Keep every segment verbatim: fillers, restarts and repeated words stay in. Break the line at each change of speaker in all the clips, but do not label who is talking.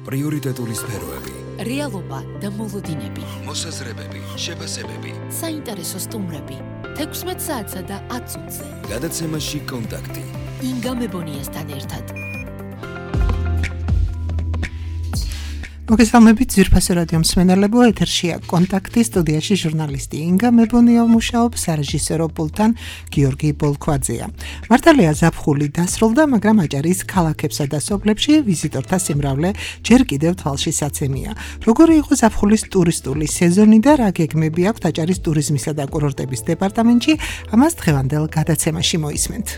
პრიორიტეტული სფეროები,
რეალობა და მოლოდინები,
მოსაზრებები, შეფასებები,
საინტერესო სტუმრები, თექვსმეტ საათსა და ათ წუთზე.
გადაცემაში კონტაქტი.
ინგა მებონიასთან ერთად.
მოგესალმებით ძვირფასო რადიო მსმენელებო, ეთერშია კონტაქტი, სტუდიაში ჟურნალისტი ინგა მებონია მუშაობს, სარეჟისორო პულტთან გიორგი ბოლქვაძეა. მართალია ზაფხული დასრულდა, მაგრამ აჭარის ქალაქებსა და სოფლებში ვიზიტორთა სიმრავლე ჯერ კიდევ თვალში საცემია. როგორი იყო ზაფხულის ტურისტული სეზონი და რა გეგმები აქვთ აჭარის ტურიზმისა და კურორტების დეპარტამენტში, ამას დღევანდელ გადაცემაში მოისმენთ.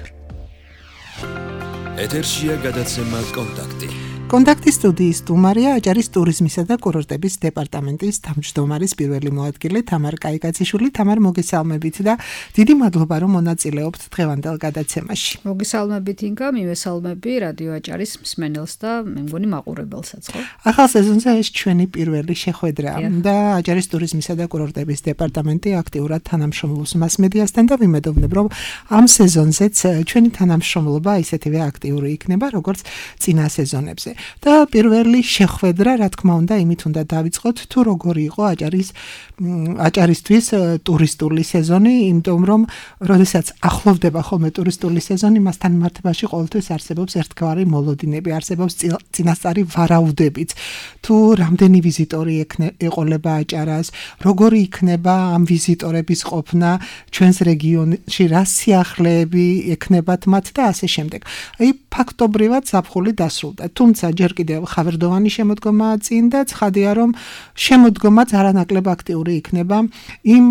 ეთერშია გადაცემა კონტაქტი.
კონტაქტის სტუდიის სტუმარია აჭარის ტურიზმისა და კურორტების დეპარტამენტის თავმჯდომარის პირველი მოადგილე თამარ კაიკაციშვილი. თამარ, მოგესალმებით და დიდი მადლობა რომ მონაწილეობთ დღევანდელ გადაცემაში.
მოგესალმებით ინგა, მივესალმები რადიო აჭარის მსმენელს და მე მგონი მაყურებელსაც ხო?
ახალ სეზონზე ეს ჩვენი პირველი შეხვედრაა და აჭარის ტურიზმისა და კურორტების დეპარტამენტი აქტიურად თანამშრომლობს მასმედიასთან და ვიმედოვნებ რომ ამ სეზონზეც ჩვენი თანამშრომლობა ისეთივე აქტიური იქნება როგორც წინა სეზონებზე. და პირველი შეხვედრა, რა თქმა უნდა, იმით უნდა დავიწყოთ, თუ როგორი იყო აჭარის აჭარისთვის ტურისტული სეზონი, იმიტომ რომ როდესაც ახლოვდება ხოლმე ტურისტული სეზონი, მასთან მიმართებაში ყოველთვის არსებობს ერთგვარი მოლოდინები, არსებობს წინასწარი ვარაუდებით, თუ რამდენი ვიზიტორი ეყოლება აჭარას, როგორი იქნება ამ ვიზიტორების ყოფნა ჩვენს რეგიონში, რა სიახლეები ექნებათ მათ და ასე შემდეგ. აი, ფაქტობრივად ზაფხული დასრულდა. თუმცა ჯერ კიდევ ხავერდოვანი შემოდგომაა წინ და ცხადია რომ შემოდგომაც არანაკლებ აქტიური იქნება იმ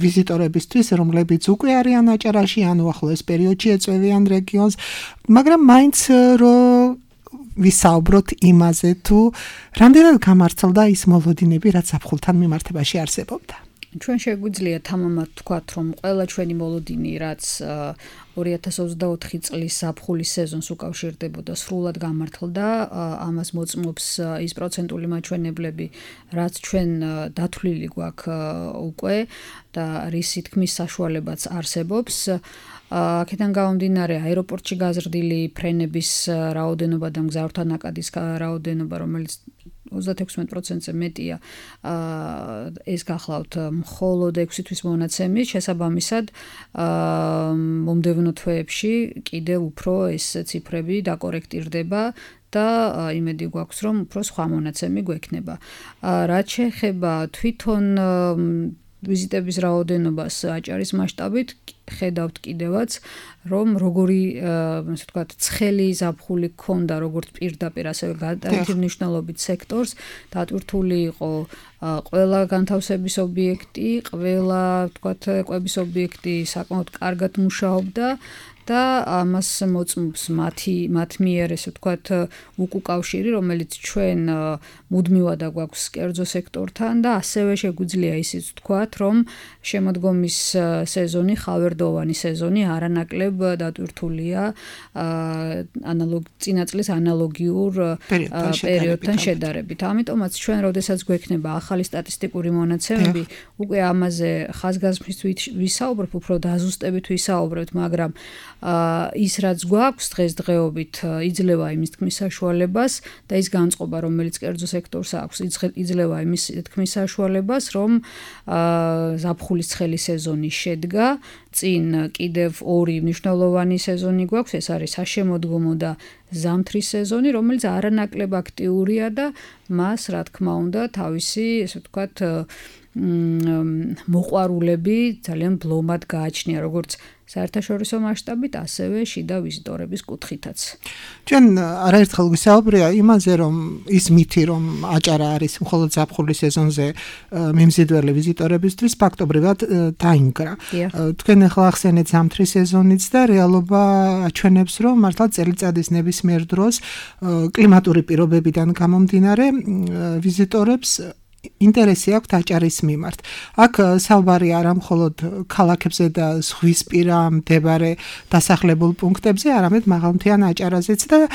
ვიზიტორებისთვის, რომლებიც უკვე არიან აჭარაში ან უახლოეს პერიოდში ეწვევიან რეგიონს, მაგრამ მაინც რომ ვისაუბროთ იმაზე, თუ რამდენად გამართლდა ის მოლოდინები, რაც ზაფხულთან მიმართებაში არსებობდა.
ჩვენ შეგვიძლია თამამად ვთქვათ, რომ ყველა ჩვენი მოლოდინი, რაც ორი ათას ოცდაოთხი წლის ზაფხულის სეზონს უკავშირდებოდა, სრულად გამართლდა. ამას მოწმობს ის პროცენტული მაჩვენებლები, რაც ჩვენ დათვლილი გვაქვს უკვე და რისი თქმის საშუალებაც არსებობს. აქედან გამომდინარე, აეროპორტში გაზრდილი ფრენების რაოდენობა და მგზავრთა ნაკადის რაოდენობა, რომელიც ოცდათექვსმეტ პროცენტზე მეტია, ეს გახლავთ მხოლოდ ექვსი თვის მონაცემით, შესაბამისად მომდევნო თვეებში კიდევ უფრო ეს ციფრები დაკორექტირდება და იმედი გვაქვს, რომ უფრო სხვა მონაცემი გვექნება. რაც შეეხება თვითონ ვიზიტების რაოდენობას აჭარის მასშტაბით, ხედავთ კიდევაც, რომ როგორი, ასე ვთქვათ, ცხელი ზაფხული ჰქონდა როგორც პირდაპირ, ასევე გადაჭრილი მნიშვნელობით სექტორს, დატვირთული იყო ყველა განთავსების ობიექტი, ყველა, ვთქვათ, კვების ობიექტი საკმაოდ კარგად მუშაობდა და ამას მოწმობს მათი მათ მიერ, ესე ვთქვათ, უკუკავშირი, რომელიც ჩვენ მუდმივად გვაქვს კერძო სექტორთან და ასევე შეგვიძლია ისიც ვთქვათ, რომ შემოდგომის სეზონი, ხავერდოვანი სეზონი არანაკლებ დატვირთულია ანალოგ წინა წლის ანალოგიურ პერიოდთან შედარებით. ამიტომაც ჩვენ, როდესაც გვექნება ახალი სტატისტიკური მონაცემები, უკვე ამაზე ხაზგასმით ვისაუბრებ, უფრო დაზუსტებით ვისაუბრებთ, მაგრამ ის რაც გვაქვს დღესდღეობით იძლევა იმის თქმის საშუალებას და ის განწყობა, რომელიც კერძო სექტორს აქვს, იძლევა იმის თქმის საშუალებას, რომ ზაფხულის ცხელი სეზონი შედგა, წინ კიდევ ორი მნიშვნელოვანი სეზონი გვაქვს, ეს არის საშემოდგომო და ზამთრის სეზონი, რომელიც არანაკლებ აქტიურია და მას, რა თქმა უნდა, თავისი, ესე ვთქვათ, მოყვარულები ძალიან ბლომად გააჩნია, როგორც საერთაშორისო მასშტაბით, ასევე შიდა ვიზიტორების კუთხითაც.
ჩვენ არაერთხელ ვისაუბრია იმაზე, რომ ის მითი, რომ აჭარა არის მხოლოდ ზაფხულის სეზონზე მიმზიდველი ვიზიტორებისთვის, ფაქტობრივად დაინგრა. თქვენ ახლა ახსენეთ ზამთრის სეზონიც და რეალობა აჩვენებს, რომ მართლა წელიწადის ნებისმიერ დროს კლიმატური პირობებიდან გამომდინარე ვიზიტორებს ინტერესი აქვს აჭარის მიმართ. აქ საუბარი არა მხოლოდ ქალაქებზე და ზღვისპირა მდებარე დასახლებულ პუნქტებზე, არამედ მაღალმთიან აჭარაზეც და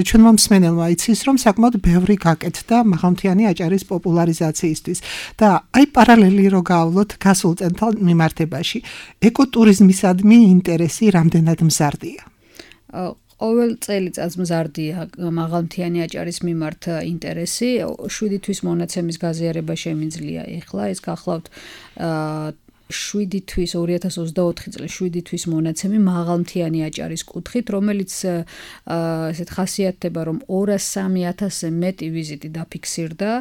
ჩვენმა მსმენელმა იცის, რომ საკმაოდ ბევრი გაკეთდა მაღალმთიანი აჭარის პოპულარიზაციისთვის. და აი პარალელი რო გავავლოთ გასულ წელთან მიმართებაში, ეკოტურიზმისადმი ინტერესი რამდენად მზარდია?
ყოველ წელიწადს მზარდია მაღალმთიანი აჭარის მიმართ ინტერესი. შვიდი თვის მონაცემის გაზიარება შემიძლია ეხლა. ეს გახლავთ შვიდი თვის ორი ათას ოცდაოთხი წლის შვიდი თვის მონაცემი მაღალმთიანი აჭარის კუთხით, რომელიც ესეთ ხასიათდება, რომ ორას სამი ათასზე მეტი ვიზიტი დაფიქსირდა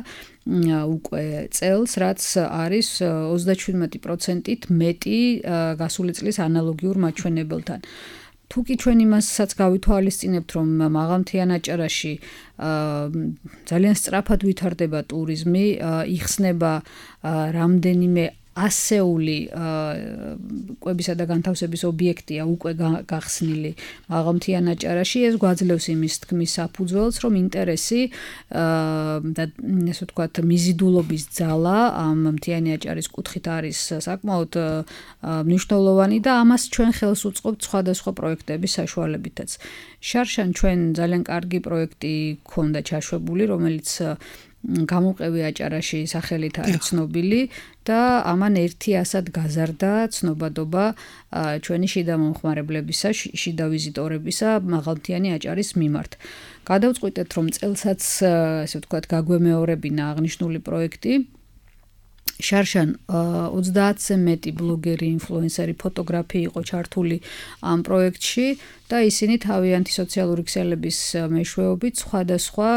უკვე წელს, რაც არის ოცდაჩვიდმეტი პროცენტით მეტი გასული წლის ანალოგიურ მაჩვენებელთან. თუკი ჩვენ იმასაც გავითვალისწინებთ, რომ მაღალმთიან აჭარაში ძალიან სწრაფად ვითარდება ტურიზმი, იხსნება რამდენიმე ასეული კვებისა და განთავსების ობიექტია უკვე გახსნილი მაღალმთიან აჭარაში, ეს გვაძლევს იმის თქმის საფუძველს, რომ ინტერესი და ესე ვთქვათ მიზიდულობის ძალა ამ მთიანი აჭარის კუთხით არის საკმაოდ მნიშვნელოვანი და ამას ჩვენ ხელს უწყობთ სხვადასხვა პროექტების საშუალებითაც. შარშან ჩვენ ძალიან კარგი პროექტი ქონდა ჩაშვებული, რომელიც გამომყევი აჭარაში სახელით არის ცნობილი და ამან ერთი ასად გაზარდა ცნობადობა ჩვენი შიდა მომხმარებლებისა, შიდა ვიზიტორებისა მაღალმთიანი აჭარის მიმართ. გადავწყვიტეთ, რომ წელსაც ესე ვთქვათ გაგვემეორებინა აღნიშნული პროექტი. შარშან ოცდაათზე მეტი ბლოგერი, ინფლუენსერი, ფოტოგრაფი იყო ჩართული ამ პროექტში და ისინი თავიანთი სოციალური ქსელების მეშვეობით სხვადასხვა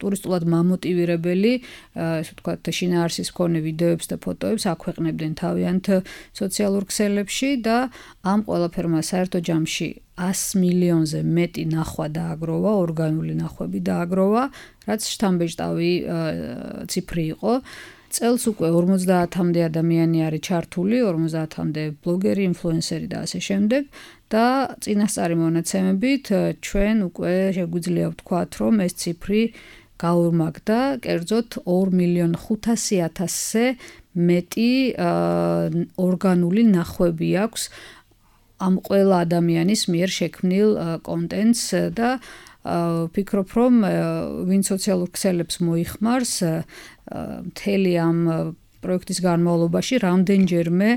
ტურისტულად მამოტივირებელი, ესე ვთქვათ, შინაარსის მქონე ვიდეოებს და ფოტოებს აქვეყნებდნენ თავიანთ სოციალურ ქსელებში და ამ ყველაფერმა საერთო ჯამში ას მილიონზე მეტი ნახვა დააგროვა, ორგანული ნახვები დააგროვა, რაც შთამბეჭდავი ციფრი იყო. წელს უკვე ორმოცდაათამდე ადამიანი არის ჩართული, ორმოცდაათამდე ბლოგერი, ინფლუენსერი და ასე შემდეგ და წინასწარი მონაცემებით ჩვენ უკვე შეგვიძლია ვთქვათ, რომ ეს ციფრი გაორმაგდა, კერძოდ ორ მილიონ ხუთასი ათასზე მეტი ორგანული ნახვები აქვს ამ ყველა ადამიანის მიერ შექმნილ კონტენტს და ვფიქრობ, რომ ვინ სოციალურ ქსელებს მოიხმარს მთელი ამ პროექტის განმავლობაში რამდენჯერმე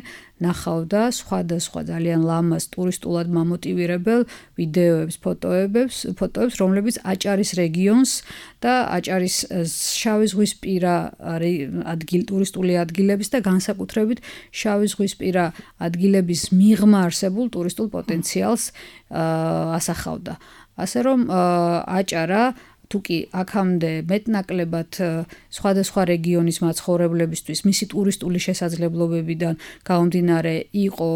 ნახავდა სხვადასხვა ძალიან ლამაზ ტურისტულად მამოტივირებელ ვიდეოებს, ფოტოებს, ფოტოებს, რომლებიც აჭარის რეგიონს და აჭარის შავი ზღვისპირა ადგილ ტურისტული ადგილების და განსაკუთრებით შავი ზღვისპირა ადგილების მიღმა არსებულ ტურისტულ პოტენციალს ასახავდა. ასე რომ აჭარა თუკი აქამდე მეტნაკლებად სხვადასხვა რეგიონის მაცხოვრებლებისთვის მისი ტურისტული შესაძლებლობებიდან გამომდინარე იყო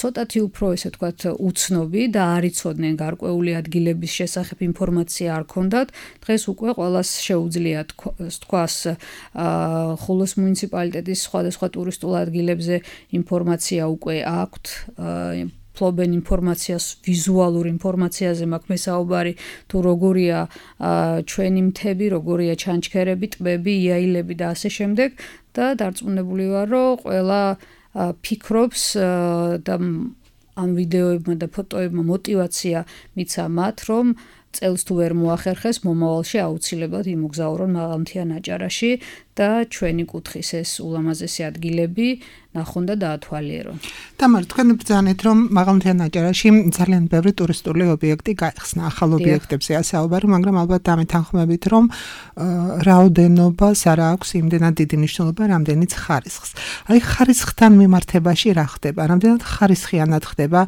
ცოტათი უფრო ესე ვთქვათ უცნობი და არ იცოდნენ გარკვეული ადგილების შესახებ ინფორმაცია არ ქონდათ, დღეს უკვე ყველას შეუძლია თქვას ხულოს მუნიციპალიტეტის სხვადასხვა ტურისტულ ადგილებზე ინფორმაცია უკვე აქვთ, ფლობენ ინფორმაციას, ვიზუალურ ინფორმაციაზე მაქვს მესაუბარი, თუ როგორია ჩვენი მთები, როგორია ჩანჩქერები, ტბები, იაილები და ასე შემდეგ და დარწმუნებული ვარ, რომ ყველა ფიქრობს და ამ ვიდეოებმა და ფოტოებმა мотиваცია მიცა მათ, რომ წელს თუ ვერ მოახერხეს, მომავალში აუცილებლად იმოგზაურონ მაღალმთიან აჭარაში და ჩვენი კუთხის ეს ულამაზესი ადგილები ნახონ და დაათვალიერონ.
თამარ, თქვენ ბრძანეთ, რომ მაღალმთიან აჭარაში ძალიან ბევრი ტურისტული ობიექტი გაიხსნა, ახალ ობიექტებზე ასაუბარი, მაგრამ ალბათ დამეთანხმებით, რომ რაოდენობას არ აქვს იმდენად დიდი მნიშვნელობა, რამდენიც ხარისხს. აი ხარისხთან მიმართებაში რა ხდება? რამდენად ხარისხიანად ხდება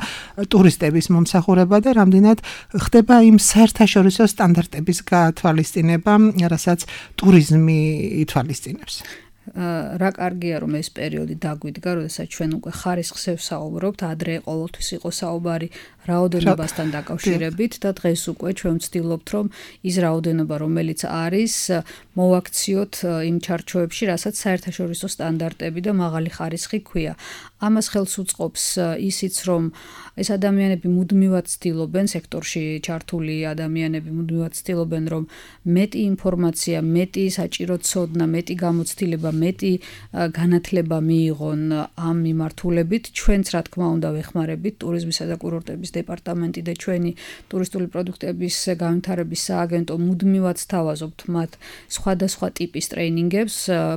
ტურისტების მომსახურება და რამდენად ხდება იმ საერთაშორისო სტანდარტების გათვალისწინება, რასაც ტურიზმი ითვალისწინებს?
რა კარგია რომ ეს პერიოდი დაგვიდგა, როდესაც ჩვენ უკვე ხარისხზე ვსაუბრობთ, ადრე ყოველთვის იყო საუბარი რაოდენობასთან დაკავშირებით და დღეს უკვე ჩვენ ვცდილობთ, რომ ის რაოდენობა, რომელიც არის, მოვაქციოთ იმ ჩარჩოებში, რასაც საერთაშორისო სტანდარტები და მაღალი ხარისხი ქვია. ამას ხელს უწყობს ისიც, რომ ეს ადამიანები მუდმივად ცდილობენ, სექტორში ჩართული ადამიანები მუდმივად ცდილობენ, რომ მეტი ინფორმაცია, მეტი საჭირო ცოდნა, მეტი გამოცდილება, მეტი განათლება მიიღონ ამ მიმართულებით. ჩვენც რა თქმა უნდა ვეხმარებით ტურიზმისა და კურორტების დეპარტამენტი და ჩვენი ტურისტული პროდუქტების განვითარების სააგენტო მუდმივად სთავაზობთ მათ სხვადასხვა ტიპის ტრეინინგებს,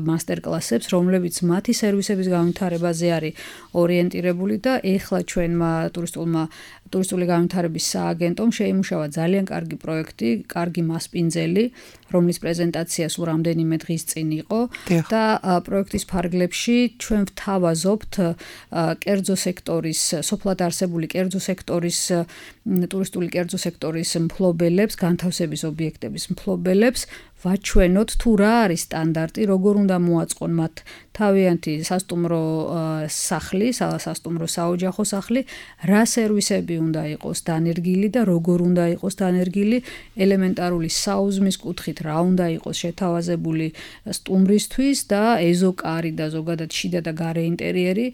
მასტერკლასებს, რომლებიც მათი სერვისების განვითარებაზე არის ორიენტირებული და ეხლა ჩვენმა ტურისტულმა ტურისტული განვითარების სააგენტომ შეიმუშავა ძალიან კარგი პროექტი, კარგი მასპინძელი, რომლის პრეზენტაცია სულ რამდენიმე დღის წინ იყო და პროექტის ფარგლებში ჩვენ ვთავაზობთ კერძო სექტორის, სოფლად არსებული კერძო სექტორის, ტურისტული კერძო სექტორის მფლობელებს, განთავსების ობიექტების მფლობელებს ვაჩვენოთ თუ რა არის სტანდარტი, როგორ უნდა მოაწყონ მათ თავიანთი სასტუმრო სახლი, სასტუმრო საოჯახო სახლი, რა სერვისები უნდა იყოს დანერგილი და როგორ უნდა იყოს დანერგილი, ელემენტარული საუზმის კუთხით რა უნდა იყოს შეთავაზებული სტუმრისთვის და ეზოკარი და ზოგადად შიდა და გარე ინტერიერი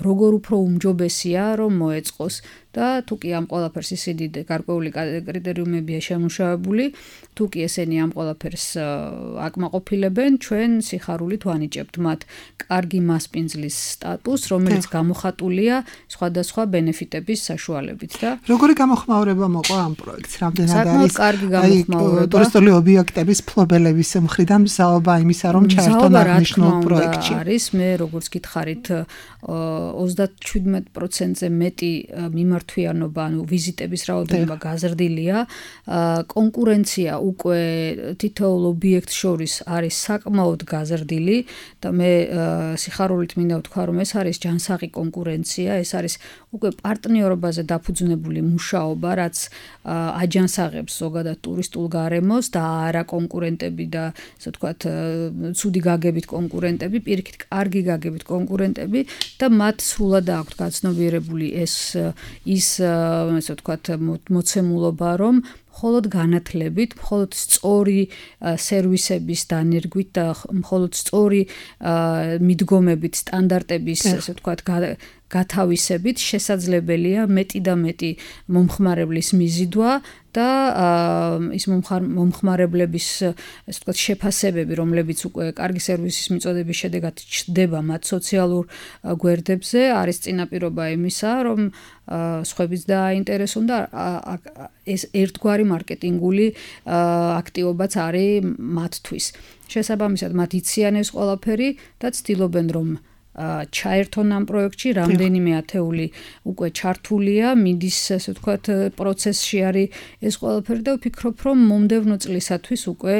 როგორ უფრო უმჯობესია რომ მოეწყოს და თუ კი ამ ყველაფერს ისინი გარკვეული კრიტერიუმებია შემუშავებული, თუ კი ესენი ამ ყველაფერს აკმაყოფილებენ, ჩვენ სიხარულით ვანიჭებთ მათ კარგი მასპინძლის სტატუსს, რომელიც გამოხატულია სხვადასხვა ბენეფიტების საშუალებით და
როგორი გამოხმაურება მოყვა ამ პროექტს? რამდენად არის?
საკმაოდ კარგი გამოხმაურება.
ტურისტული ობიექტების მფლობელების მხრიდან მზაობა იმისა, რომ ჩაერთონ აღნიშნულ პროექტში.
არის, მე როგორც გითხარით, ოცდათშვიდმეტ პროცენტზე მეტი მიმართვიანობა, ანუ ვიზიტების რაოდენობა გაზრდილია. კონკურენცია უკვე თითოეულ ობიექტს შორის არის საკმაოდ გაზრდილი და მე სიხარულით მინდა ვთქვა, რომ ეს არის ჯანსაღი კონკურენცია, ეს არის უკვე პარტნიორობაზე დაფუძნებული მუშაობა, რაც აჯანსაღებს ზოგადად ტურისტულ გარემოს და არა კონკურენტები და ასე ვთქვათ, ცუდი გაგებით კონკურენტები, პირიქით კარგი გაგებით კონკურენტები და მათ სრულად აქვთ გაცნობიერებული ეს ის ასე ვთქვათ მოცემულობა, რომ მხოლოდ განათლებით, მხოლოდ სწორი სერვისების დანერგვით და მხოლოდ სწორი მიდგომებით, სტანდარტების, ასე ვთქვათ, გათავისებით შესაძლებელია მეტი და მეტი მომხმარებლის მიზიდვა და ის მომხმარებლების, ასე ვთქვათ, შეფასებები, რომლებიც უკვე კარგი სერვისის მიწოდების შედეგად ჩნდება მათ სოციალურ გვერდებზე, არის წინაპირობა იმისა, რომ სხვებიც დააინტერესონ და ეს ერთგვარი მარკეტინგული აქტივობაც არის მათთვის. შესაბამისად, მათ იციან ეს ყველაფერი და ცდილობენ, რომ ჩაერთონ ამ პროექტში, რამდენიმე ათეული უკვე ჩართულია, მიდის, ასე ვთქვათ, პროცესში არის ეს ყველაფერი და ვფიქრობ, რომ მომდევნო წლისათვის უკვე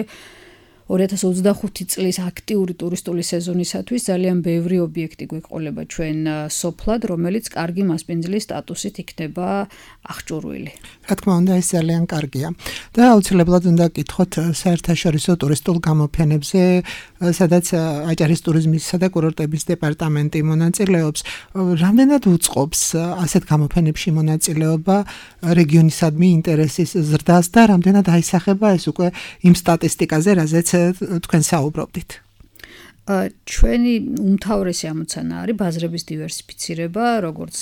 ორი ათას ოცდახუთი წლის აქტიური ტურისტული სეზონისათვის ძალიან ბევრი ობიექტი გვეყოლება ჩვენ სოფლად, რომელიც კარგი მასპინძლის სტატუსით იქნება აღჭურვილი.
რა თქმა უნდა, ეს ძალიან კარგია. და აუცილებლად უნდა გკითხოთ საერთაშორისო ტურისტულ გამოფენებზე, სადაც აჭარის ტურიზმისა და კურორტების დეპარტამენტი მონაწილეობს. რამდენად უწყობს ასეთ გამოფენებში მონაწილეობა რეგიონისადმი ინტერესის ზრდას და რამდენად აისახება ეს უკვე იმ სტატისტიკაზე, რაზეც თქვენ საუბრობდით?
ჩვენი უმთავრესი ამოცანა არის ბაზრების დივერსიფიცირება, როგორც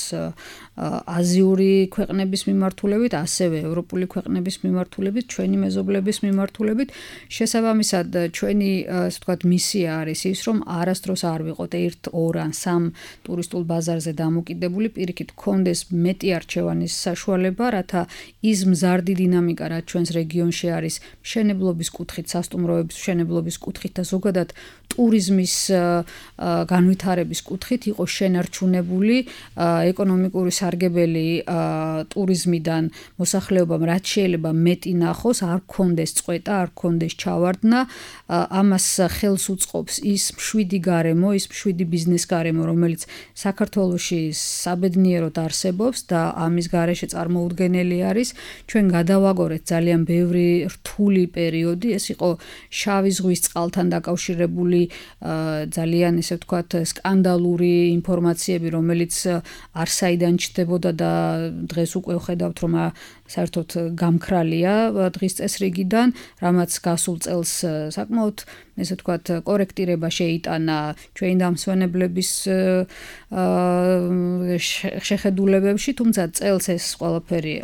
აზიური ქვეყნების მიმართულებით, ასევე ევროპული ქვეყნების მიმართულებით, ჩვენი მეზობლების მიმართულებით. შესაბამისად, ჩვენი, ასე ვთქვათ, მისია არის ის, რომ არასდროს არ ვიყოთ ერთ, ორ ან სამ ტურისტულ ბაზარზე დამოკიდებული, პირიქით გქონდეს მეტი არჩევანის საშუალება, რათა ის მზარდი დინამიკა, რაც ჩვენს რეგიონში არის, მშენებლობის კუთხით, სასტუმროების მშენებლობის კუთხით და ზოგადად ტურიზმის განვითარების კუთხით იყო შენარჩუნებული ეკონომიკური სარგებელი ტურიზმიდან მოსახლეობამ რაც შეიძლება მეტი ნახოს, არ გქონდეს წყვეტა, არ გქონდეს ჩავარდნა, ამას ხელს უწყობს ის მშვიდი გარემო, ის მშვიდი ბიზნეს გარემო, რომელიც საქართველოში საბედნიეროდ არსებობს და ამის გარეშე წარმოუდგენელი არის. ჩვენ გადავაგორეთ ძალიან ბევრი რთული პერიოდი, ეს იყო შავი ზღვის წყალთან დაკავშირებული ძალიან, ესე ვთქვათ, სკანდალური ინფორმაციები, რომელიც არსაიდან ჩნდებოდა და დღეს უკვე ვხედავთ, რომ საერთოდ გამქრალია დღის წესრიგიდან, რამაც გასულ წელს საკმაოდ, ესე ვთქვათ, კორექტირება შეიტანა ჩვენი დამსვენებლების შეხედულებებში, თუმცა წელს ეს ყველაფერი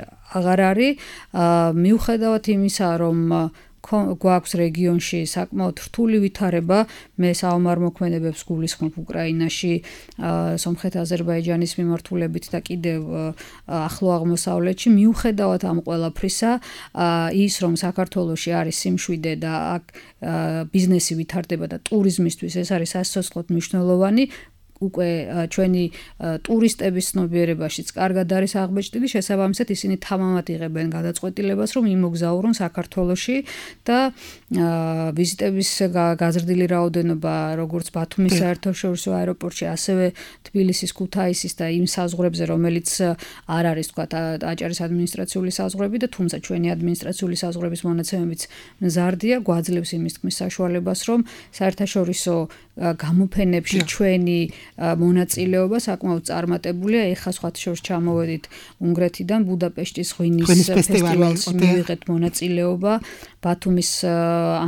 აღარ არის. მიუხედავად იმისა, რომ გვაქვს რეგიონში საკმაოდ რთული ვითარება, მე საომარ მოქმედებებს გულისხმობ უკრაინაში, სომხეთ აზერბაიჯანის მიმართულებით და კიდევ ახლო აღმოსავლეთში, მიუხედავად ამ ყველაფრისა, ის რომ საქართველოში არის სიმშვიდე და აქ ბიზნესი ვითარდება და ტურიზმისთვის ეს არის სასიცოცხლოდ მნიშვნელოვანი, უკვე ჩვენი ტურისტების ცნობიერებაშიც კარგად არის აღბეჭდილი, შესაბამისად ისინი თამამად იღებენ გადაწყვეტილებას, რომ იმოგზაურონ საქართველოში და ვიზიტების გაზრდილი რაოდენობა როგორც ბათუმის საერთაშორისო აეროპორტში, ასევე თბილისის, ქუთაისის და იმ საზღვრებზე, რომელიც არ არის თქვა აჭარის ადმინისტრაციული საზღვრები და თუმცა ჩვენი ადმინისტრაციული საზღვრების მონაცემებიც მზარდია, გვაძლევს იმის თქმის საშუალებას, რომ საერთაშორისო გამოფენებში ჩვენი მონაწილეობა საკმაოდ წარმატებულია. ეხლა სხვათა შორის ჩამოვედით უნგრეთიდან, ბუდაპეშტის ღვინის ფესტივალს მივიღეთ მონაწილეობა, ბათუმის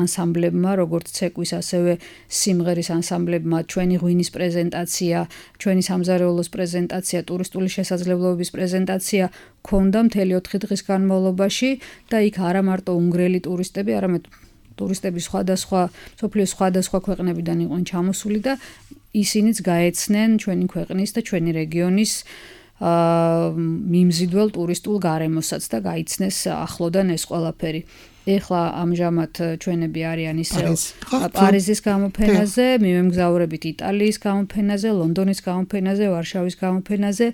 ანსამბლებმა, როგორც ცეკვის, ასევე სიმღერის ანსამბლებმა ჩვენი ღვინის პრეზენტაცია, ჩვენი სამზარეულოს პრეზენტაცია, ტურისტული შესაძლებლობების პრეზენტაცია ქონდა მთელი ოთხი დღის განმავლობაში და იქ არა მარტო უნგრელი ტურისტები, არამედ ტურისტები სხვადასხვა სოფლიოს სხვადასხვა ქვეყნებიდან იყვნენ ჩამოსული და ისინიც გაეცნენ ჩვენი ქვეყნის და ჩვენი რეგიონის მიმზიდველ ტურისტულ გარემოსაც და გაიცნეს ახლოდან ეს ყველაფერი. ეხლა ამჟამად ჩვენები არიან ისევ პარიზის გამოფენაზე, მივემგზავრებით იტალიის გამოფენაზე, ლონდონის გამოფენაზე, ვარშავის გამოფენაზე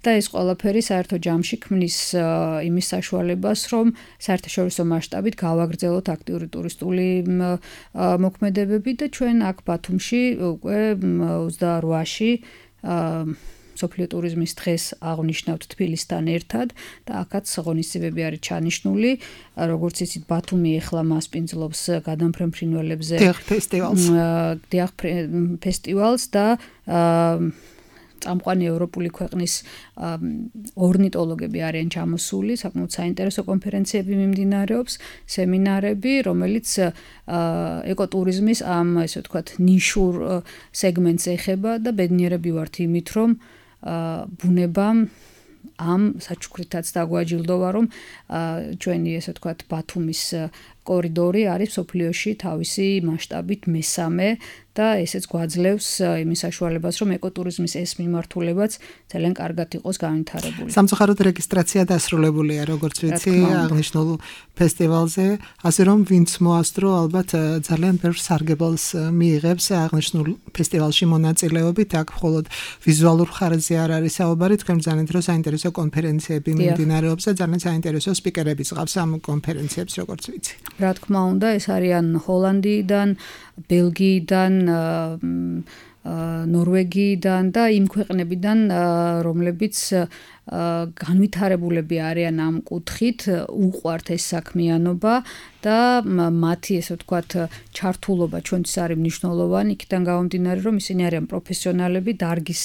და ეს ყველაფერი საერთო ჯამში ქმნის იმის საშუალებას, რომ საერთაშორისო მასშტაბით გავაგრძელოთ აქტიური ტურისტული მოქმედებები და ჩვენ აქ ბათუმში უკვე ოცდაოთხში სოფლიო ტურიზმის დღეს აღნიშნავთ თბილისთან ერთად და აქაც ღონისძიებები არის ჩანიშნული. როგორც იცით, ბათუმი ეხლა მასპინძლობს გადამფრენ ფრინველებზე დიახ ფესტივალს და წამყვანი ევროპული ქვეყნის ორნიტოლოგები არიან ჩამოსული, საკმაოდ საინტერესო კონფერენციები მიმდინარეობს, სემინარები, რომელიც ეკოტურიზმის ამ ესე ვთქვათ ნიშურ სეგმენტს ეხება და ბედნიერები ვართ იმით, რომ ბუნებამ ამ საჩუქრითაც დაგვაჯილდოვა, რომ ჩვენი ესე ვთქვათ ბათუმის კორიდორი არის სოფლიოში თავისი მასშტაბით მესამე და ესეც გვაძლევს იმის საშუალებას, რომ ეკოტურიზმის ეს მიმართულებაც ძალიან კარგად იყოს განვითარებული.
სამწუხაროდ რეგისტრაცია დასრულებულია, როგორც ვიცი, აღნიშნულ ფესტივალზე, ასე რომ ვინც მოასწრო, ალბათ ძალიან ბევრ სარგებელს მიიღებს აღნიშნულ ფესტივალში მონაწილეობით. აქ მხოლოდ ვიზუალურ ხარჯზე არ არის საუბარი, თქვენ ძალიან დრო საინტერესო კონფერენციები მიმდინარეობს და ძალიან საინტერესო სპიკერებიც ყავს ამ კონფერენციებს, როგორც ვიცი.
რა თქმა უნდა, ეს არიან ჰოლანდიიდან, ბელგიიდან, ნორვეგიიდან და იმ ქვეყნებიდან, რომლებიც განვითარებულები არიან ამ კუთხით, უყვართ ეს საქმიანობა და მათი ესე ვთქვათ ჩართულობა ჩვენთვის არის მნიშვნელოვანი, იქიდან გამომდინარე, რომ ისინი არიან პროფესიონალები, დარგის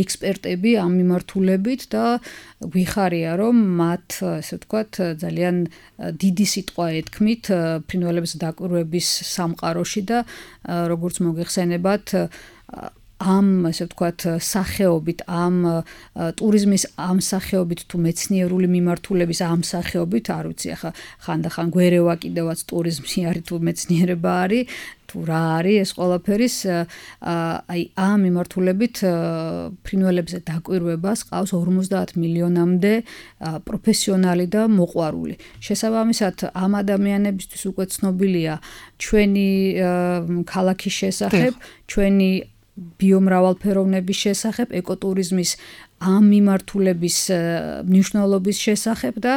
ექსპერტები ამ მიმართულებით და გვიხარია, რომ მათ ესე ვთქვათ ძალიან დიდი სიტყვა ეთქმით ფრინველების დაკვირვების სამყაროში და როგორც მოგეხსენებათ ამ ესე ვთქვათ სახეობით, ამ ტურიზმის ამ სახეობით თუ მეცნიერული მიმართულების ამ სახეობით, არ ვიცი ახლა ხანდახან გვერევა კიდევაც ტურიზმი არის თუ მეცნიერება არის, თუ რა არის ეს ყველაფერის აი ამ მიმართულებით ფრინველებზე დაკვირვებას ყავს ორმოცდაათ მილიონამდე პროფესიონალი და მოყვარული. შესაბამისად, ამ ადამიანებისთვის უკვე ცნობილია ჩვენი ქალაქის შესახებ, ჩვენი ბიომრავალფეროვნების შესახებ, ეკოტურიზმის ამ მიმართულების მნიშვნელობის შესახებ და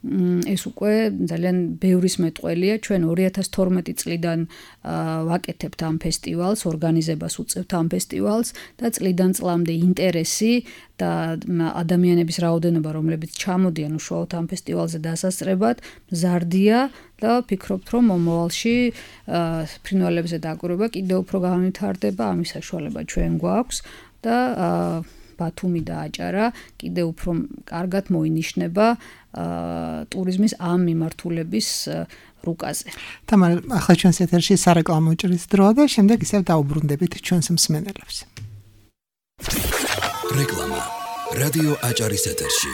ეს უკვე ძალიან ბევრის მეტყველია. ჩვენ ორი ათას თორმეტი წლიდან ვაკეთებთ ამ ფესტივალს, ორგანიზებას უწევთ ამ ფესტივალს და წლიდან წლამდე ინტერესი და ადამიანების რაოდენობა, რომლებიც ჩამოდიან უშუალოდ ამ ფესტივალზე დასასწრებად, მზარდია და ვფიქრობთ, რომ მომავალში ფრინველებზე დაკვირვება კიდევ უფრო განვითარდება, ამის საშუალება ჩვენ გვაქვს და ბათუმი და აჭარა კიდევ უფრო კარგად მოინიშნება ტურიზმის ამ მიმართულების რუკაზე.
თამარ, ახლა ჩვენს ეთერში სარეკლამო ჭრის დროა და შემდეგ ისევ დაუბრუნდებით ჩვენს მსმენელებს.
რეკლამა. რადიო აჭარის ეთერში.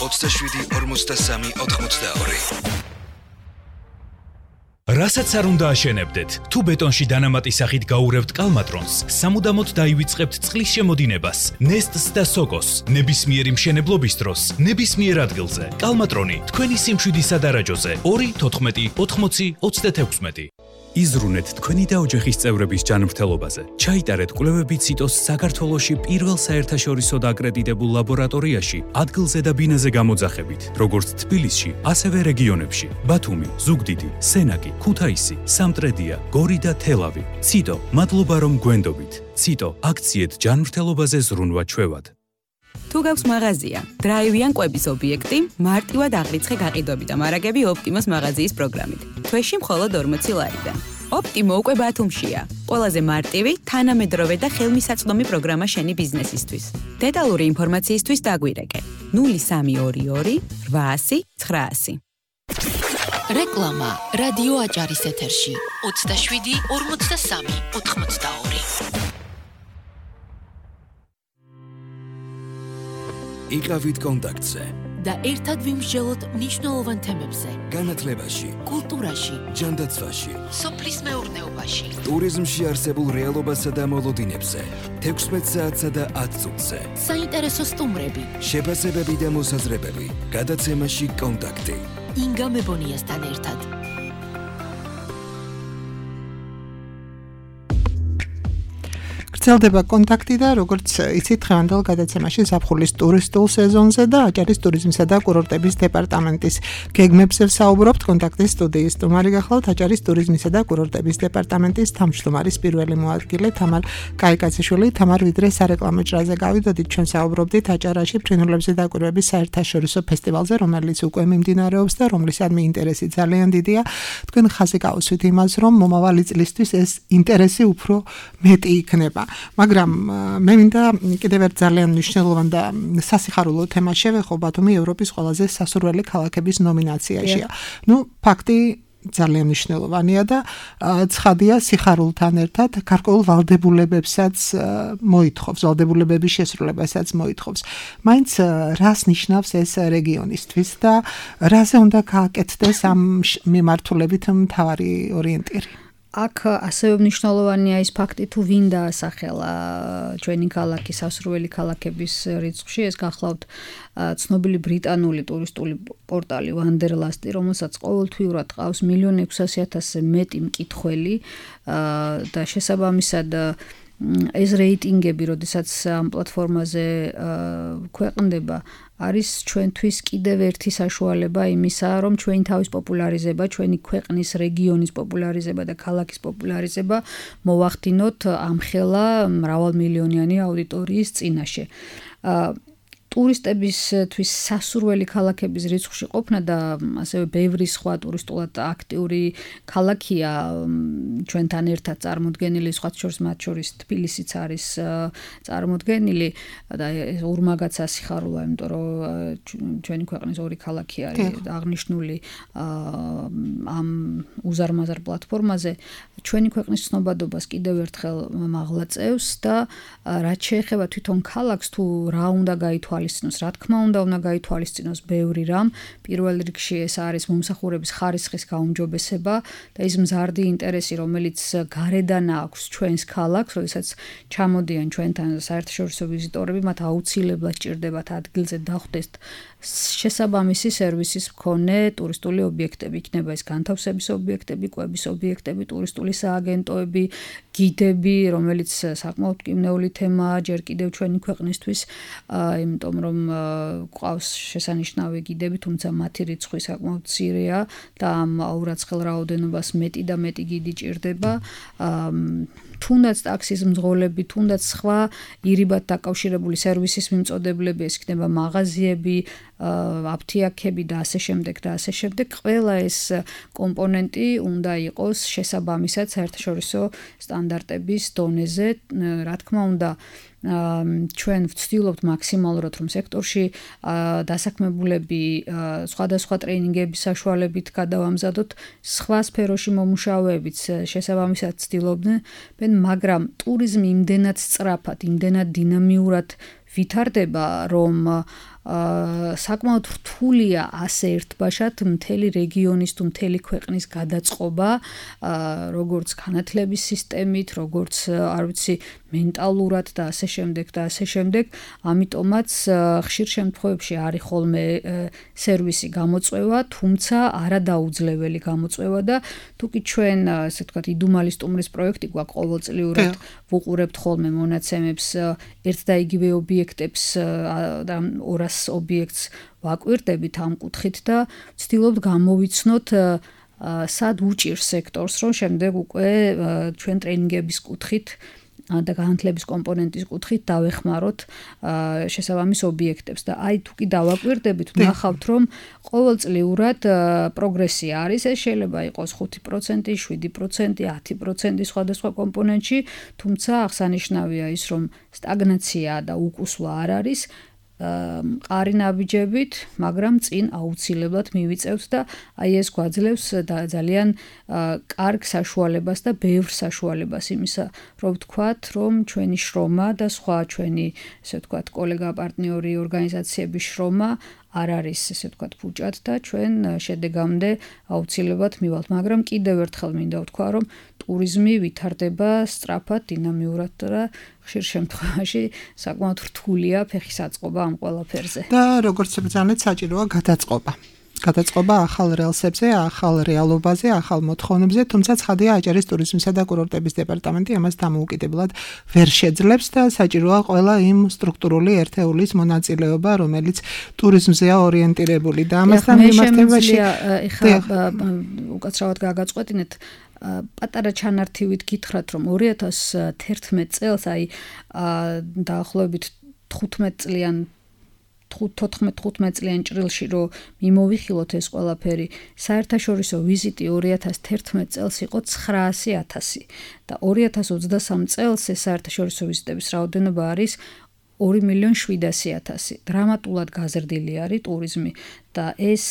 ოცდაშვიდი ორმოცდასამი ოთხმოცდაორი.
რასაც არ უნდა აშენებდეთ, თუ ბეტონში დანამატი სახით გაურევთ კალმატრონს, სამუდამოდ დაივიწყებთ წყლის შემოდინებას, ნესტს და სოკოს, ნებისმიერი მშენებლობის დროს, ნებისმიერ ადგილზე. კალმატრონი თქვენი სიმშვიდის სადარაჯოზე ორი თოთხმეტი ოთხმოცი ოცდათექვსმეტი. იზრუნეთ თქვენი და ოჯახის წევრების ჯანმრთელობაზე. ჩაიტარეთ კვლევები ციტოს საქართველოში პირველ საერთაშორისო აკრედიტებულ ლაბორატორიაში ადგილზე და ბინაზე გამოძახებით, როგორც თბილისში, ასევე რეგიონებში: ბათუმი, ზუგდიდი, სენაკი, ქუთაისი, სამტრედია, გორი და თელავი. ციტო, მადლობა რომ გვენდობით. ციტო, აქციეთ ჯანმრთელობაზე ზრუნვა ჩვევად.
თუ გაქვს მაღაზია, დრაივიან კვების ობიექტი, მარტივად აღრიცხე გაყიდვები და მარაგები ოპტიმოს მაღაზიის პროგრამით. თვეში მხოლოდ ორმოცი ლარიდან. ოპტიმო უკვე ბათუმშია. ყველაზე მარტივი, თანამედროვე და ხელმისაწვდომი პროგრამა შენი ბიზნესისთვის. დეტალური ინფორმაციისთვის დაგვირეკე ნული სამი ორი ორი რვაასი ცხრაასი.
რეკლამა რადიო აჭარის ეთერში ოცდაშვიდი ორმოცდასამი ოთხმოცდაორი.
იყავით კონტაქტზე
და ერთად ვიმსჯელოთ მნიშვნელოვან თემებზე:
განათლებაში,
კულტურაში,
ჯანდაცვაში,
სოფლის მეურნეობაში,
ტურიზმში არსებულ რეალობასა და მოლოდინებზე, თექვსმეტ საათსა და ათ წუთზე,
საინტერესო სტუმრები,
შეფასებები და მოსაზრებები, გადაცემაში კონტაქტი.
ინგა მებონიასთან ერთად.
გრძელდება კონტაქტი და როგორც იცით დღევანდელ გადაცემაში ზაფხულის ტურისტულ სეზონზე და აჭარის ტურიზმისა და კურორტების დეპარტამენტის გეგმებზე ვსაუბრობთ. კონტაქტის სტუდიის სტუმარი გახლავთ აჭარის ტურიზმისა და კურორტების დეპარტამენტის თავმჯდომარის პირველი მოადგილე თამარ კაიკაციშვილი. თამარ, ვიდრე სარეკლამო ჭრაზე გავიდოდით, ჩვენ საუბრობდით აჭარაში ფრინველებზე დაკვირვების საერთაშორისო ფესტივალზე, რომელიც უკვე მიმდინარეობს და რომლისადმი ინტერესი ძალიან დიდია. თქვენ ხაზი გავუსვით იმას, რომ მომავალი წლისთვის ეს ინტერესი უფრო მეტი იქნება. მაგრამ მე მინდა კიდევ ერთ ძალიან მნიშვნელოვან და სასიხარულო თემას შევეხო. ბათუმი ევროპის ყველაზე სასურველი ქალაქების ნომინაციაშია. ნუ ფაქტი ძალიან მნიშვნელოვანია და ცხადია სიხარულთან ერთად გარკვეულ ვალდებულებებსაც მოითხოვს, ვალდებულებების შესრულებასაც მოითხოვს. მაინც რას ნიშნავს ეს რეგიონისთვის და რაზე უნდა გააკეთდეს ამ მიმართულებით მთავარი ორიენტირი?
აქ ასევე მნიშვნელოვანია ის ფაქტი, თუ ვინ დაასახელა ჩვენი ქალაქის სასურველი ქალაქების რიცხვში. ეს გახლავთ ცნობილი ბრიტანული ტურისტული პორტალი Wanderlust, რომელსაც ყოველთვიურად ყავს მილიონ ექვსასი ათასზე მეტი მკითხველი და შესაბამისად ეს რეიტინგები, როდესაც ამ პლატფორმაზე ქვეყნდება, არის ჩვენთვის კიდევ ერთი საშუალება იმისა, რომ ჩვენი თავის პოპულარიზება, ჩვენი ქვეყნის რეგიონის პოპულარიზება და ქალაქის პოპულარიზება მოვახდინოთ ამხელა მრავალმილიონიანი აუდიტორიის წინაშე. ტურისტებისთვის სასურველი ქალაქების რიცხვში ყოფნა და ასევე ბევრი სხვა ტურისტულად აქტიური ქალაქია ჩვენთან ერთად წარმოდგენილი, სხვა შორის მათ შორის თბილისიც არის წარმოდგენილი და ურმაგაც ასიხარულა, იმიტომ რომ ჩვენი ქვეყნის ორი ქალაქი არის აღნიშნული ამ უზარმაზარ პლატფორმაზე. ჩვენი ქვეყნის ცნობადობას კიდევ ერთხელ მაღლაწევს და რაც შეეხება თვითონ ქალაქს, თუ რა უნდა გაითვალისწინოს, რა თქმა უნდა უნდა გაითვალისწინოს ბევრი რამ. პირველ რიგში ეს არის მომსახურების ხარისხის გაუმჯობესება და ის მზარდი ინტერესი, რომელიც გარედან აქვს ჩვენს ქალაქს, როდესაც ჩამოდიან ჩვენთან საერთაშორისო ვიზიტორები, მათ აუცილებლად სჭირდებათ ადგილზე დახვდეს შესაბამისი სერვისის მქონე ტურისტული ობიექტები. იქნება ეს განთავსების ობიექტები, კვების ობიექტები, ტურისტული სააგენტოები, გიდები, რომელიც საკმაოდ მკვნეული თემაა ჯერ კიდევ ჩვენი ქვეყნისთვის, იმიტომ რომ ყავს შესანიშნავი გიდები, თუმცა მათი რიცხვი საკმაოდ მცირეა და ამ აურაცხელ რაოდენობას მეტი და მეტი გიდი ჭირდება. თუნდაც ტაქსის მძღოლები, თუნდაც სხვა ირიბად დაკავშირებული სერვისის მიმწოდებლები, ეს იქნება მაღაზიები, აფთიაქები და ასე შემდეგ და ასე შემდეგ. ყველა ეს კომპონენტი უნდა იყოს შესაბამისად საერთაშორისო სტანდარტების დონეზე. რა თქმა უნდა, ჩვენ ვცდილობთ მაქსიმალურად, რომ სექტორში დასაქმებულები სხვადასხვა ტრეინინგების საშუალებით გადავამზადოთ, სხვა სფეროში მომუშავეებიც შესაბამისად ცდილობდნენ, მაგრამ ტურიზმი იმდენად სწრაფად, იმდენად დინამიურად ვითარდება, რომ საკმაოდ რთულია ასე ერთბაშად მთელი რეგიონის თუ მთელი ქვეყნის გადაწყობა, როგორც განათლების სისტემით, როგორც არ ვიცი, მენტალურად და ასე შემდეგ და ასე შემდეგ. ამიტომაც ხშირ შემთხვევებში არის ხოლმე სერვისი გამოწვევა, თუმცა არადაუძლეველი გამოწვევა და თუკი ჩვენ, ასე ვთქვათ, იდუმალი სტუმრის პროექტი გვაქვს ყოველწლიურად ვუყურებთ ხოლმე მონაცემებს ერთ და იგივე ობიექტებს და ორას ობიექტს ვაკვირდებით ამ კუთხით და ვცდილობთ გამოვიცნოთ სად უჭირს სექტორს, რომ შემდეგ უკვე ჩვენ ტრეინინგების კუთხით და განათლების კომპონენტის კუთხით დავეხმაროთ შესაბამის ობიექტებს და აი თუკი დავაკვირდებით, ვნახავთ, რომ ყოველწლიურად პროგრესია არის, ეს შეიძლება იყოს ხუთი პროცენტი, შვიდი პროცენტი, ათი პროცენტი სხვადასხვა კომპონენტში, თუმცა აღსანიშნავია ის, რომ სტაგნაცია და უკუსვლა არ არის. მყარი ნაბიჯებით, მაგრამ წინ აუცილებლად მივიწევთ და აი ეს გვაძლევს ძალიან კარგ საშუალებას და ბევრ საშუალებას იმისა, რომ ვთქვათ, რომ ჩვენი შრომა და სხვა ჩვენი, ესე ვთქვათ, კოლეგა პარტნიორი ორგანიზაციების შრომა არ არის, ესე ვთქვათ, ფუჭად და ჩვენ შედეგამდე აუცილებლად მივალთ, მაგრამ კიდევ ერთხელ მინდა ვთქვა, რომ ტურიზმი ვითარდება სწრაფად, დინამიურად და ხშირ შემთხვევაში საკმაოდ რთულია ფეხის აწყობა ამ ყველაფერზე.
და როგორც ბრძანეთ, საჭიროა გადაწყობა. გადაწყობა ახალ რელსებზე, ახალ რეალობაზე, ახალ მოთხოვნებზე, თუმცა ცხადია აჭარის ტურიზმისა და კურორტების დეპარტამენტი ამას დამოუკიდებლად ვერ შეძლებს და საჭიროა ყველა იმ სტრუქტურული ერთეულის მონაწილეობა, რომელიც ტურიზმზეა ორიენტირებული და ამასთან მიმართებაში
ეხლა უკაცრავად გაგაწყვეტინეთ პატარა ჩანართივით გითხრათ, რომ ორი ათას თერთმეტ წელს, აი დაახლოებით თხუთმეტ წლიან თოთხმეტ თხუთმეტ წლიან ჭრილში რომ მიმოვიხილოთ ეს ყველაფერი, საერთაშორისო ვიზიტი ორი ათას თერთმეტ წელს იყო ცხრაასი ათასი და ორი ათას ოცდასამ წელს ეს საერთაშორისო ვიზიტების რაოდენობა არის ორი მილიონი შვიდასი ათასი. დრამატულად გაზრდილი არის ტურიზმი და ეს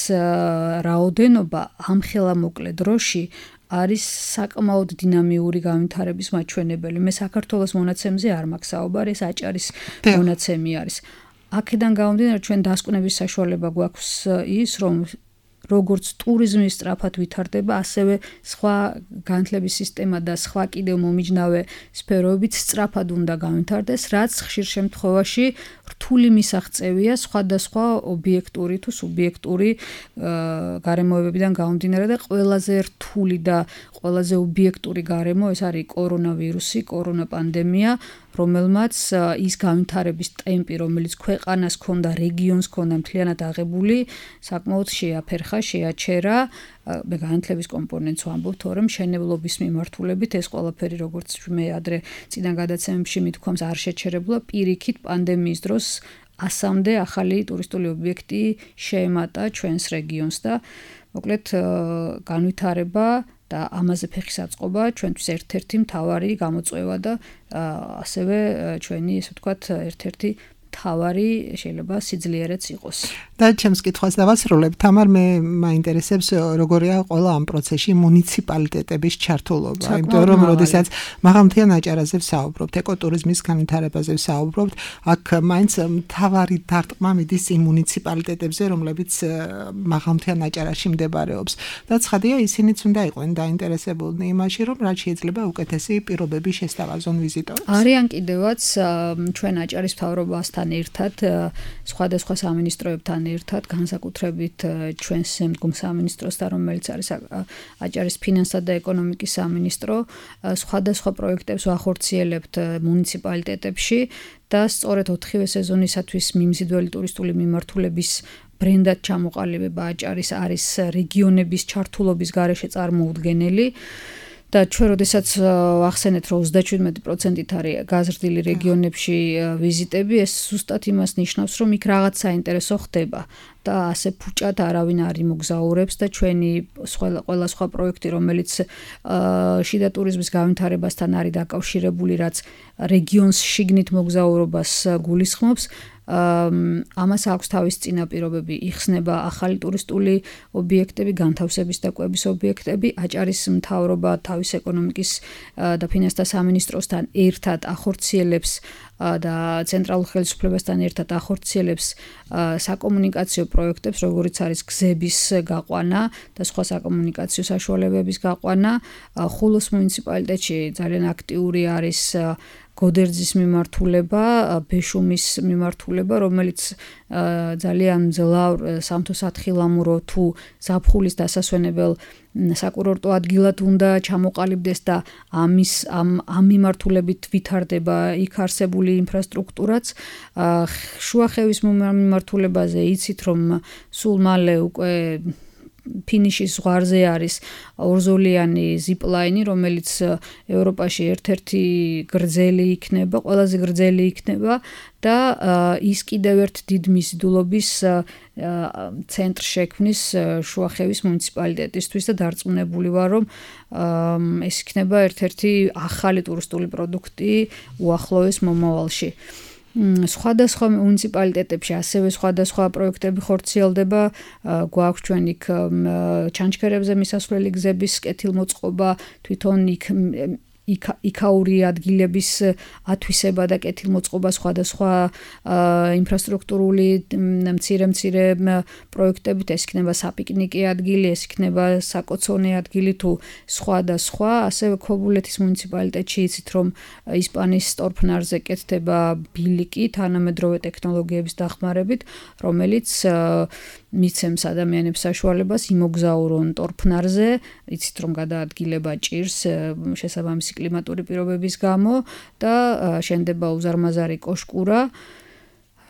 რაოდენობა ამხელა მოკლე დროში არის საკმაოდ დინამიური განვითარების მაჩვენებელი. მე საქართველოს მონაცემზე არ მაქვს საუბარი, ეს აჭარის მონაცემი არის. აქედან გამომდინარე, ჩვენ დასკვნების საშუალება გვაქვს ის, რომ როგორც ტურიზმი სწრაფად ვითარდება, ასევე სხვა განათლების სისტემა და სხვა კიდევ მომიჯნავე სფეროებიც სწრაფად უნდა განვითარდეს, რაც ხშირ შემთხვევაში რთული მისაღწევია სხვადასხვა ობიექტური თუ სუბიექტური გარემოებებიდან გამომდინარე და ყველაზე რთული და ყველაზე ობიექტური გარემო ეს არის კორონავირუსი, კორონა პანდემია, რომელმაც ის განვითარების ტემპი, რომელიც ქვეყანას ჰქონდა, რეგიონს ჰქონდა მთლიანად აღებული, საკმაოდ შეაფერხა, შეაჩერა. მე განათლების კომპონენტს ვამბობ, თორემ მშენებლობის მიმართულებით ეს ყველაფერი, როგორც მე ადრე წინა გადაცემებში მithქვამს, არ შეჩერებულა, პირიქით პანდემიის დროს ასამდე ახალი ტურისტული ობიექტი შეემატა ჩვენს რეგიონს და მოკლედ განვითარება და ამაზე ფეხის აწყობა ჩვენთვის ერთ-ერთი მთავარი გამოწვევა და ასევე ჩვენი, ესე ვთქვათ, ერთ-ერთი მთავარი შეიძლება სიძლიერეც იყოს.
და ჩემს კითხვას დავასრულებ. თამარ, მე მაინტერესებს როგორია ყველა ამ პროცესში მუნიციპალიტეტების ჩართულობა. იმიტომ რომ როდესაც მაღალმთიან აჭარაზე ვსაუბრობთ, ეკოტურიზმის განვითარებაზე ვსაუბრობთ, აქ მაინც მთავარი დარტყმა მიდის იმ მუნიციპალიტეტებზე, რომლებიც მაღალმთიან აჭარაში მდებარეობს. და ცხადია, ისინიც უნდა იყვნენ დაინტერესებულნი იმაში, რომ რაც შეიძლება უკეთესი პირობები შესთავაზონ ვიზიტორებს.
არიან კიდევაც ჩვენ აჭარის მთავრობასთან ერთად, სხვადასხვა სამინისტროებთან ერთად, განსაკუთრებით ჩვენს შემდგომ სამინისტროსთან, რომელიც არის აჭარის ფინანსთა და ეკონომიკის სამინისტრო, სხვადასხვა პროექტებს ვახორციელებთ მუნიციპალიტეტებში და სწორედ ოთხივე სეზონისათვის მიმზიდველი ტურისტული მიმართულების ბრენდად ჩამოყალიბება აჭარის არის რეგიონების ჩართულობის გარეშე წარმოუდგენელი. და ჩვენ როდესაც ვახსენეთ, რომ ოცდაშვიდმეტი პროცენტით არის გაზრდილი რეგიონებში ვიზიტები, ეს ზუსტად იმას ნიშნავს, რომ იქ რაღაც საინტერესო ხდება და ასე ფუჭად არავინ არ იმოგზაურებს და ჩვენი ყველა სხვა პროექტი, რომელიც შიდა ტურიზმის განვითარებასთან არის დაკავშირებული, რაც რეგიონს შიგნით მოგზაურობას გულისხმობს, ამას აქვს თავის წინაპირობები, იხსნება ახალი ტურისტული ობიექტები, განთავსების და კვების ობიექტები, აჭარის მთავრობა თავის ეკონომიკის და ფინანსთა სამინისტროსთან ერთად ახორციელებს და ცენტრალურ ხელისუფლებასთან ერთად ახორციელებს საკომუნიკაციო პროექტებს, როგორიც არის გზების გაყვანა და სხვა საკომუნიკაციო საშუალებების გაყვანა. ხულოს მუნიციპალიტეტში ძალიან აქტიური არის გოდერძის მიმართულება, ბეშუმის მიმართულება, რომელიც ძალიან მძლავრ სამთო-სათხილამურო თუ ზაფხულის დასასვენებელ საკურორტო ადგილად უნდა ჩამოყალიბდეს და ამის ამ ამ მიმართულებით ვითარდება იქ არსებული ინფრასტრუქტურაც. შუახევის მიმართულებაზე იცით, რომ სულ მალე უკვე ფინიშის ზღვარზე არის ორზოლიანი ზიპლაინი, რომელიც ევროპაში ერთ-ერთი გრძელი იქნება, ყველაზე გრძელი იქნება და ის კიდევ ერთ დიდ მიზიდულობის ცენტრ შექმნის შუახევის მუნიციპალიტეტისთვის და დარწმუნებული ვარ, რომ ეს იქნება ერთ-ერთი ახალი ტურისტული პროდუქტი უახლოეს მომავალში. სხვადასხვა მუნიციპალიტეტებში ასევე სხვადასხვა პროექტები ხორციელდება, გვაქვს ჩვენ იქ ჩანჩქერებზე მისასვლელი გზების კეთილმოწყობა, თვითონ იქ იქაური ადგილების ათვისება და კეთილმოწყობა, სხვადასხვა ინფრასტრუქტურული მცირე-მცირე პროექტებით, ეს იქნება საპიკნიკი ადგილი, ეს იქნება საკოცონე ადგილი თუ სხვა და სხვა. ასევე ქობულეთის მუნიციპალიტეტში იცით, რომ ისპანიის სტორფნარზე კეთდება ბილიკი თანამედროვე ტექნოლოგიების დახმარებით, რომელიც მიცემს ადამიანებს საშუალებას იმოგზაურონ ტორფნარზე, იცით, რომ გადაადგილება ჭირს შესაბამისი კლიმატური პირობების გამო და შენდება უზარმაზარი კოშკურა,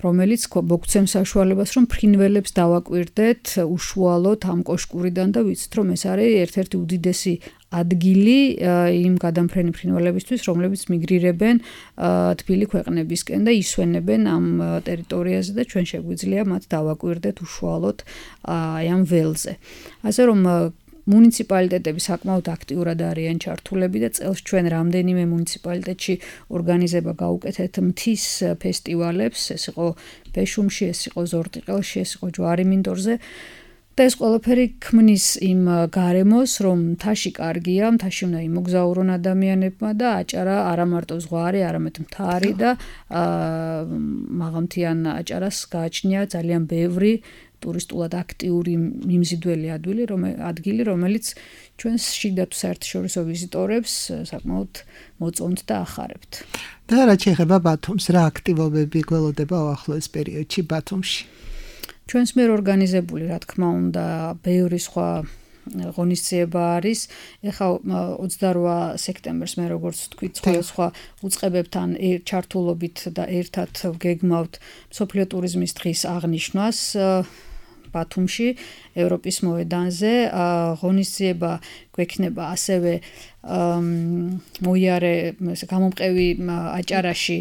რომელიც მოგცემს საშუალებას, რომ ფრინველებს დავაკვირდეთ უშუალოდ ამ კოშკურიდან და ვიცით, რომ ეს არის ერთ-ერთი უდიდესი ადგილი იმ გადამფრენი ფრინველებისთვის, რომლებიც მიგრირებენ თბილი ქვეყნებისკენ და ისვენებენ ამ ტერიტორიაზე და ჩვენ შეგვიძლია მათ დავაკვირდეთ უშუალოდ აი ამ ველზე. ასე რომ მუნიციპალიტეტები საკმაოდ აქტიურად არიან ჩართულები და წელს ჩვენ რამდენიმე მუნიციპალიტეტში ორგანიზება გაუკეთეთ მთის ფესტივალებს, ეს იყო ბეშუმში, ეს იყო ზორტიყელში, ეს იყო ჯვარი-მინდორზე. და ეს ყველაფერი ქმნის იმ გარემოს, რომ მთაში კარგია, მთაში უნდა იმოგზაურონ ადამიანებმა და აჭარა არა მარტო ზღვარი, არამედ მთარი და მაღალმთიან აჭარას გააჩნია ძალიან ბევრი ტურისტულად აქტიური მიმზიდველი ადგილი, ადგილი, რომელიც ჩვენს შიდა თუ საერთაშორისო ვიზიტორებს საკმაოდ მოწონთ და ახარებთ.
და რა შეეხება ბათუმს, რა აქტივობები გველოდება უახლოეს პერიოდში ბათუმში?
ჩვენს მიერ ორგანიზებული, რა თქმა უნდა, ბევრი სხვა ღონისძიება არის. ეხლა ოცდარვა სექტემბერს მე როგორც თქვით, სხვა უწყებებთან ჩართულობით და ერთად ვგეგმავთ მსოფლიო ტურიზმის დღის აღნიშვნას ბათუმში, ევროპის მოედანზე. ღონისძიება გვექნება ასევე მოიარე გამომყევი აჭარაში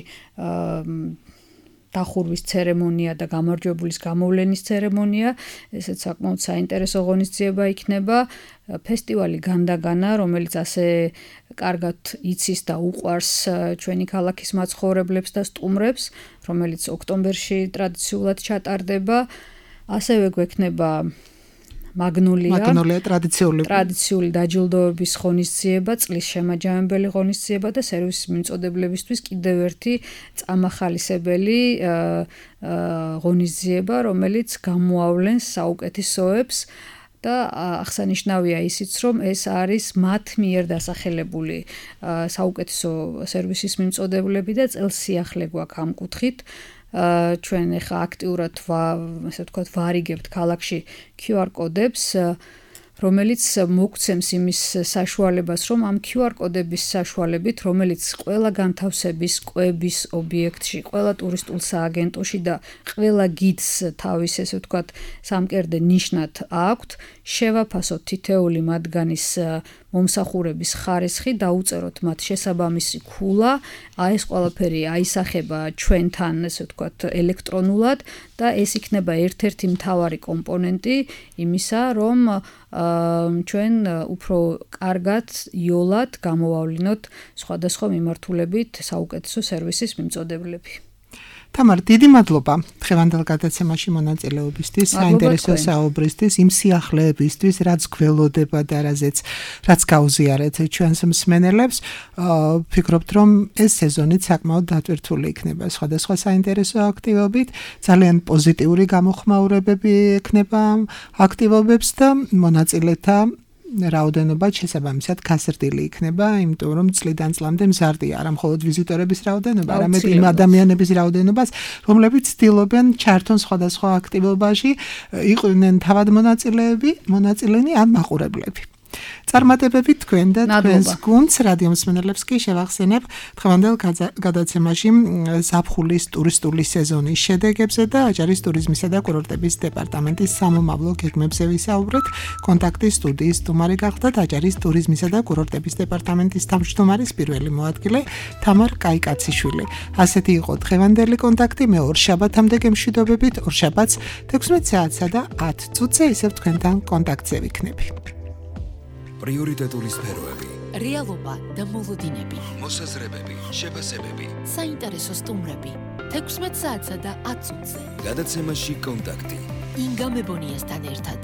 დახურვის ცერემონია და გამარჯვებულის გამოვლენის ცერემონია. ესეც საკმაოდ საინტერესო ღონისძიება იქნება. ფესტივალი განდაგანა, რომელიც ასე კარგად იცის და უყვარს ჩვენი ქალაქის მაცხოვრებლებს და სტუმრებს, რომელიც ოქტომბერში ტრადიციულად ჩატარდება. ასევე გვექნება მაგნოლია,
მაგნოლია ტრადიციული
ტრადიციული დაჯილდოების ღონისძიება, წლის შემაჯამებელი ღონისძიება და სერვისის მიმწოდებლებისთვის კიდევ ერთი წამახალისებელი ღონისძიება, რომელიც გამოავლენს საუკეთესოებს და აღსანიშნავია ისიც, რომ ეს არის მათ მიერ დასახელებული საუკეთესო სერვისის მიმწოდებლები და წელს სიახლე გვაქვს ამ კუთხით. ჩვენ ახლა აქტიურად ასე ვთქვათ ვარიგებთ ქალაქში კიუ არ კოდებს, რომელიც მოგცემს იმის საშუალებას, რომ ამ კიუ არ კოდების საშუალებით, რომელიც ყველა განთავსების, კვების ობიექტში, ყველა ტურისტულ სააგენტოში და ყველა გიდს თავის ესე ვთქვათ სამკერდე ნიშნად აქვთ, შევაფასოთ თითეული მათგანის მომსახურების ხარისხი, დაუწეროთ მათ შესაბამისი ქულა, აი ეს ყველაფერი აისახება ჩვენთან, ესე ვთქვათ, ელექტრონულად და ეს იქნება ერთ-ერთი მთავარი კომპონენტი იმისა, რომ ჩვენ უფრო კარგად, იოლად გამოვავლინოთ სხვადასხვა მიმართულებით საუკეთესო სერვისის მიმწოდებლები.
თამარ, დიდი მადლობა დღევანდელ გადაცემაში მონაწილეობისთვის, საინტერესო საუბრისთვის, იმ სიახლეებისთვის, რაც გველოდება და რაზეც რაც გაუზიარეთ ჩვენს მსმენელებს. ვფიქრობთ, რომ ეს სეზონი საკმაოდ დატვირთული იქნება სხვადასხვა საინტერესო აქტივობით, ძალიან პოზიტიური გამოხმაურებები ექნება აქტივობებს და მონაწილეთა რაოდენობა შესაბამისად გაზრდილი იქნება, იმიტომ რომ წლიდან წლამდე მზარდია არა მხოლოდ ვიზიტორების რაოდენობა, არამედ იმ ადამიანების რაოდენობას, რომლებიც ცდილობენ ჩართონ სხვადასხვა აქტივობაში, იყვნენ თავად მონაწილეები, მონაწილენი ან მაყურებლები. წარმატებები თქვენ და თქვენს გუნდს რადიო მსმენელებს კი შევახსენებ დღევანდელ გადაცემაში ზაფხულის ტურისტული სეზონის შედეგებზე და აჭარის ტურიზმისა და კურორტების დეპარტამენტის სამომავლო გეგმებზე ვისაუბრეთ. კონტაქტის სტუდიის სტუმარი გახდათ აჭარის ტურიზმისა და კურორტების დეპარტამენტის თავმჯდომარის პირველი მოადგილე თამარ კაიკაციშვილი. ასეთი იყო დღევანდელი კონტაქტი. მე ორ შაბათამდე გემშვიდობებით, ორ შაბათს თექვსმეტ საათსა და ათ წუთზე ისევ თქვენთან კონტაქტზე ვიქნები.
პრიორიტეტული სფეროები,
რეალობა და მოლოდინები,
მოსაზრებები, შეფასებები,
საინტერესო სტუმრები, თექვსმეტ საათსა და ათ წუთზე.
გადაცემაში კონტაქტი.
ინგა მებონიასთან ერთად.